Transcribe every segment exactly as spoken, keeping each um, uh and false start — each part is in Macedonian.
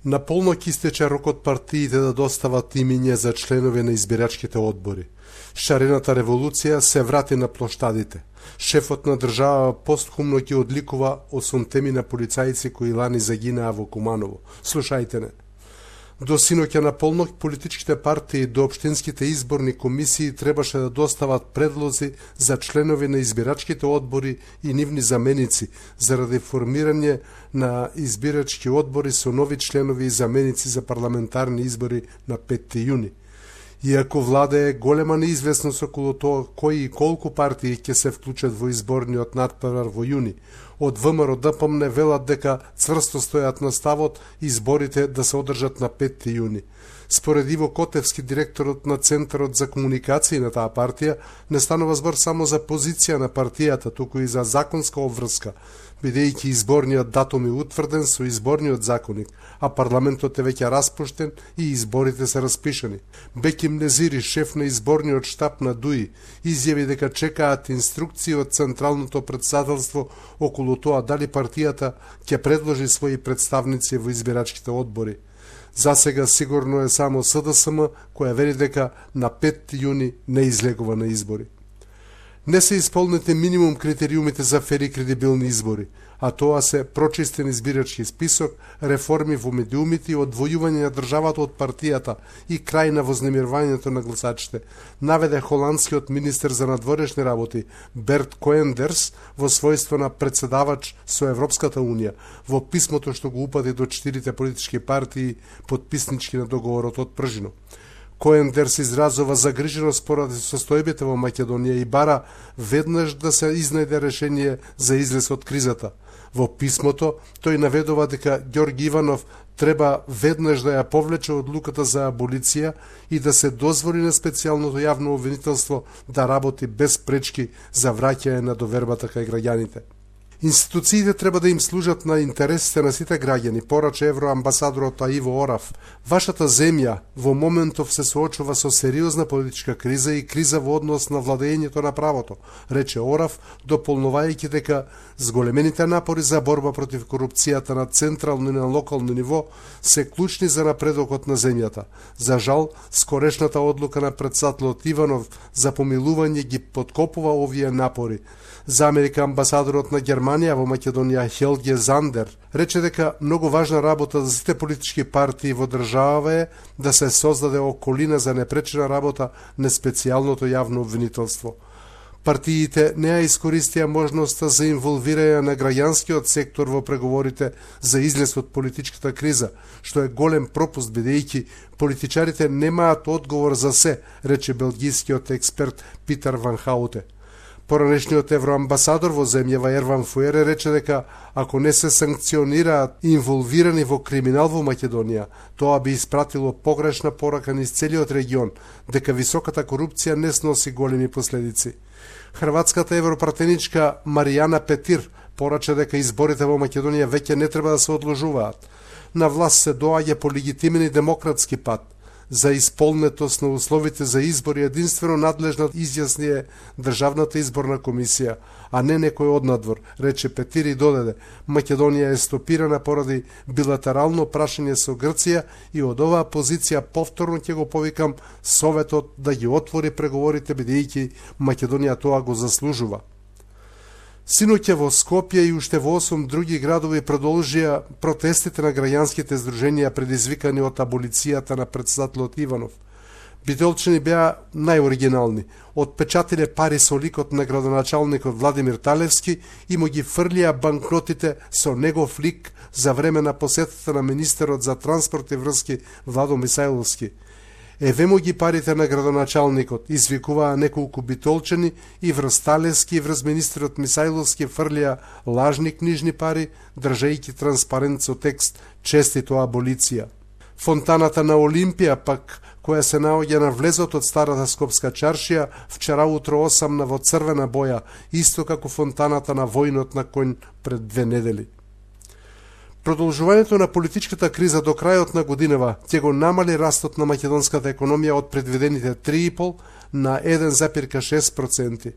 На полноќ истече рокот партиите да достават имиња за членови на избирачките одбори. Шарената револуција се врати на плоштадите. Шефот на држава постхумно ќе одликува осумтеми на полицајци кои лани загинаа во Куманово. Слушајте не. До синоќа на полноќ политичките партии до општинските изборни комисии требаше да достават предлози за членови на избирачките одбори и нивни заменици заради формирање на избирачки одбори со нови членови и заменици за парламентарни избори на петти јуни. Иако владее голема неизвестност околу тоа кои и колку партии ќе се вклучат во изборниот надпревар во јуни, од ВМРО Д П М не велат дека цврсто стојат на ставот изборите да се одржат на петти јуни. Според Иво Котевски, директорот на Центарот за комуникации на таа партија, не станува збор само за позиција на партијата, туку и за законска обврска, бидејќи изборниот датум е утврден со изборниот законник, а парламентот е веќе распуштен и изборите се распишани. Беким Незири, шеф на изборниот штаб на ДУИ, изјави дека чекаат инструкции од Централното претседателство околу тоа дали партијата ќе предложи своји представници во избирачките одбори. За сега сигурно е само С Д С М која вели дека на петти јуни не излегува на избори. Не се исполнете минимум критериумите за фери и кредибилни избори, а тоа се прочистен избирачки список, реформи во медиумите и одвојување на државата од партијата и крај на вознемирувањето на гласачите, наведе холандскиот министер за надворешни работи Берт Коендерс во својство на председавач со Европската унија во писмото што го упати до четирите политички партии потписнички на договорот од Пржино. Коендерс изразува загриженост поради состојбите во Македонија и бара веднаш да се изнајде решение за излез од кризата. Во писмото тој наведува дека Ѓорги Иванов треба веднаш да ја повлече одлуката за аболиција и да се дозволи на специјалното јавно обвинителство да работи без пречки за враќање на довербата кај граѓаните. Институциите треба да им служат на интересите на сите граѓани, порача евроамбасадорот Иво Орав. Вашата земја во моментов се соочува со сериозна политичка криза и криза во однос на владењето на правото, рече Орав, дополнувајќи дека зголемените напори за борба против корупцијата на централно и на локално ниво се клучни за напредокот на земјата. За жал, скорешната одлука на председателот Иванов за помилување ги подкопува овие напори. За Америка амбасадорот на Германија во Македонија Хелге Зандер рече дека многу важна работа за сите политички партии во држава е да се создаде околина за непречена работа на специјалното јавно обвинителство. Партиите не ја искористија можноста за инволвирање на граѓанскиот сектор во преговорите за излез од политичката криза, што е голем пропуст бидејќи политичарите немаат одговор за се, рече белгискиот експерт Питер Ван Хауте. Поранешниот евроамбасадор во земјава Ерван Фуере рече дека ако не се санкционираат инволвирани во криминал во Македонија, тоа би испратило погрешна порака низ целиот регион, дека високата корупција не сноси големи последици. Хрватската европратеничка Маријана Петир порача дека изборите во Македонија веќе не треба да се одложуваат. На власт се доаѓа по легитимен и демократски пат. За исполнетост на условите за избори единствено надлежна изјасни е Државната изборна комисија, а не некој однадвор, рече Петир и додаде. Македонија е стопирана поради билатерално прашање со Грција и од оваа позиција повторно ќе го повикам Советот да ги отвори преговорите бидејќи Македонија тоа го заслужува. Синоќа во Скопје и уште во осум други градови продолжија протестите на граѓанските здруженија предизвикани од аболицијата на председателот Иванов. Битолчани беа најоригинални. Отпечатиле пари со ликот на градоначалникот Владимир Талевски и му ги фрлија банкнотите со негов лик за време на посетата на министерот за транспорт и врски Владо Мисајловски. Еве му ги парите на градоначалникот, извикуваа неколку битолчани и врз Талевски и врз министерот Мисајловски фрлија лажни книжни пари, држејќи транспарент со текст «Честито аболиција». Фонтаната на Олимпија пак, која се наоѓа на влезот од старата Скопска чаршија, вчера утро осамна во црвена боја, исто како фонтаната на војнот на конј пред две недели. Продолжувањето на политичката криза до крајот на годинава ќе го намали растот на македонската економија од предвидените три и пол на еден зарез и шест проценти.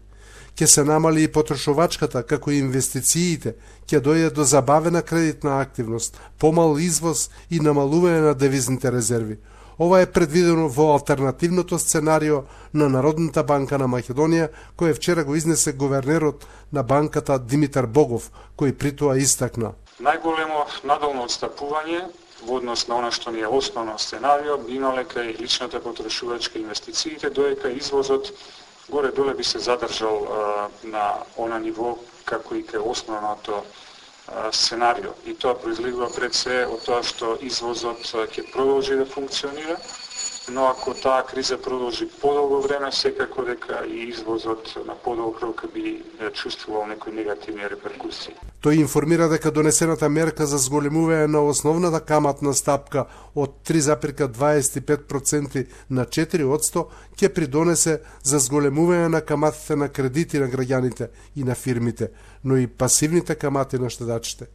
Ќе се намали и потрошувачката, како и инвестициите, ќе дојде до забавена кредитна активност, помал извоз и намалување на девизните резерви. Ова е предвидено во алтернативното сценарио на Народната банка на Македонија, кој вчера го изнесе гувернерот на банката Димитар Богов, кој при тоа истакна. Најголемо надолно отстапување во однос на она што ни е основно сценарио би имале кај личната потрошувачка инвестициите, доека извозот горе-доле би се задржал а, на она ниво како и кај основното а, сценарио. И тоа произлегува пред се од тоа што извозот ќе продолжи да функционира, но ако таа криза продолжи подолго време, секако дека и извозот на подолг рок би чувствувал некои негативни реперкусии. Тој информира дека донесената мерка за зголемување на основната каматна стапка од три зарез дваесет и пет проценти на четири проценти ќе придонесе за зголемување на каматите на кредити на граѓаните и на фирмите, но и пасивните камати на штедачите.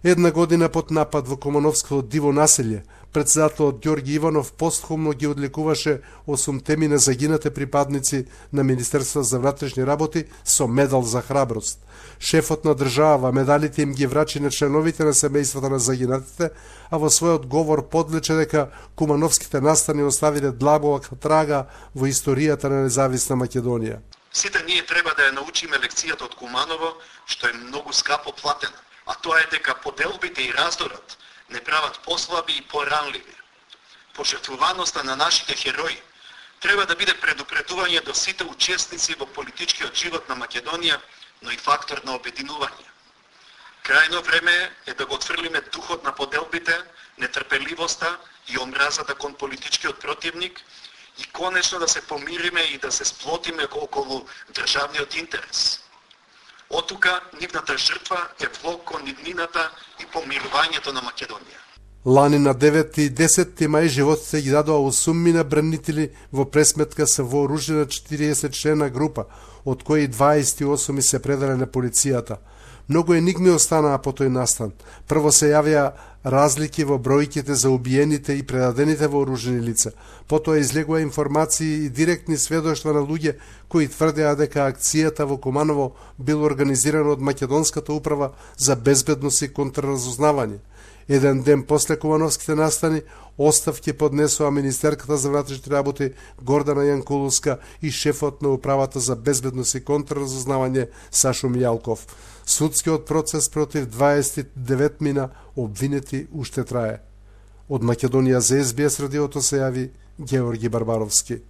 Една година под напад во Кумановското диво населје, председателот Ѓорги Иванов постхумно ги одликуваше осумте на загинате припадници на Министерството за внатрешни работи со медал за храброст. Шефот на држава медалите им ги врачи на членовите на семејствата на загинатите, а во својот говор подлече дека кумановските настани оставиле длабока трага во историјата на независна Македонија. Сите ние треба да ја научиме лекцијата од Куманово, што е многу скапо платена, а тоа е дека поделбите и раздорот не прават послаби и поранливи. Пожртвуваноста на нашите херои треба да биде предупредување до сите учесници во политичкиот живот на Македонија, но и фактор на обединување. Крајно време е да го отфрлиме духот на поделбите, нетрпеливоста и омразата кон политичкиот противник и конечно да се помириме и да се сплотиме околу државниот интерес. Отука нивната жртва е влог кон иднината и помирувањето на Македонија. Лани на деветти и десетти мај животите ги дадоа осуммина бранители во пресметка со вооружена четириесет члена група, од кои дваесет и осум се предале на полицијата. Многу енигми останаа по тој настан. Прво се јавија разлики во бројките за убиените и предадените вооружени лица. Потоа излегува информации и директни сведоштва на луѓе кои тврдеа дека акцијата во Куманово бил организирана од Македонската управа за безбедност и контрразузнавање. Еден ден после Кумановските настани, оставки поднесоа министерката за внатрешни работи Гордана Јанкуловска и шефот на управата за безбедност и контрразузнавање Сашо Мијалков. Судскиот процес против дваесет и деветмина обвинети уште трае. Од Македонија за Ес Би Ес радиото се јави Георги Барбаровски.